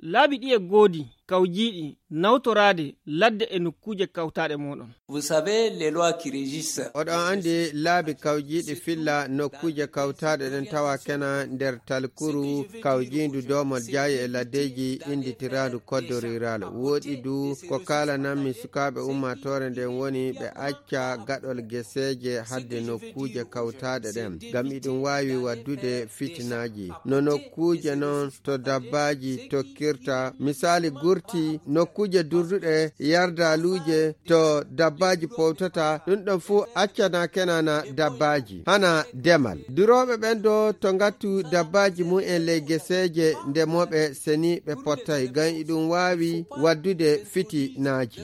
laabi ɗi e goodi kawjiiɗi nawtoraade ladde e nokkuje kawtaaɗe moɗon. Vous savez les lois qui régissent. Oɗon andi laabi kawjiiɗi filla nokkuje kawtaaɗe ɗen tawa kena nder talkuru kawjiindu domol jaayi e laddeji inditiraandu code rural. Woɗi du ko kalananmi sukaaɓe ummatore nden woni ɓe acca gaɗol geseeje hadde nokkuje kawtaaɗe ɗen ngam iɗum waawi waddude fitinaaji. No nokkuje non to dabbaji tokkirta misali gurti nokkuje durduɗe yardaluje to dabbaji powtata ɗum ɗon fu accana kenana dabbaji hana demal. Duroɓe ɓen do to ngattu dabbaji mum en ley geseje ndemoɓe seni ɓe pottay ngam iɗum waawi waddude fitinaji.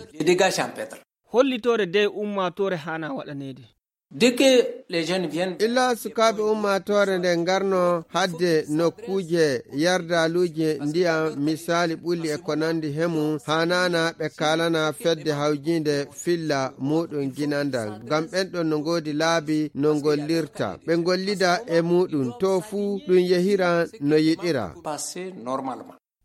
Hollitore de ummatore hana waɗanede. Dès que les jeunes viennent, illa sukaɓe ummatore nde ngarno hadde nokkuje yardaluje ndiyam misali ɓulli e ko nandi hemu hanana ɓe kalana fedde hawjinde filla muɗum ginandal ngam ɓenɗon no ngodi laabi no ngollirta ɓe ngollida e muɗum to fuu ɗum yehira no yiɗira.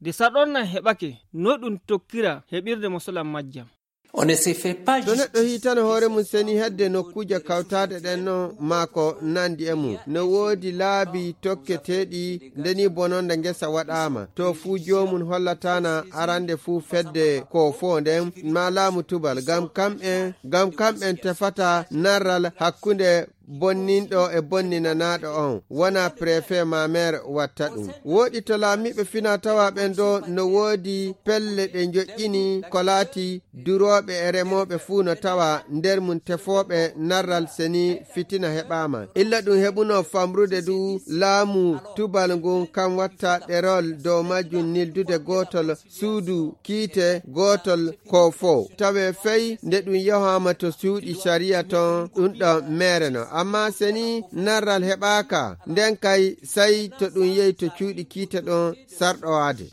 De saɗonna heɓake no ɗum tokkira heɓirde mosolam majjam. On ne se fait pas to neɗɗo hitano hoore mum seni hedde nokkuje kawtade ɗen no maako nandi e mum no woodi laabi tokketeɗi ndeni bononde ngesa waɗama to fuu jomum hollatana arande fuu fedde ko fo nden ma laamu tubal gam kamɓen tefata narral hakkunde bonninɗo e bonninanaɗo on wona préfet ma maire watta ɗum. Woɗi to laamiɓe fina tawa ɓen ɗo no woodi pelle ɗe joƴƴini ko laati duroɓe e remoɓe fuu no tawa nder mum tefoɓe narral seni fitina heɓama illa ɗum heɓuno famrude du laamu tubal ngun kam watta ɗerol dow majjum nildude gotol suudu kiite gotol ko fo tawe fey nde ɗum yahama to suuɗi sharia ton ɗum ɗo mere no amma seni narral heɓaka nden kay sai to ɗum yehi to cuuɗi kiite ɗon sarɗowade.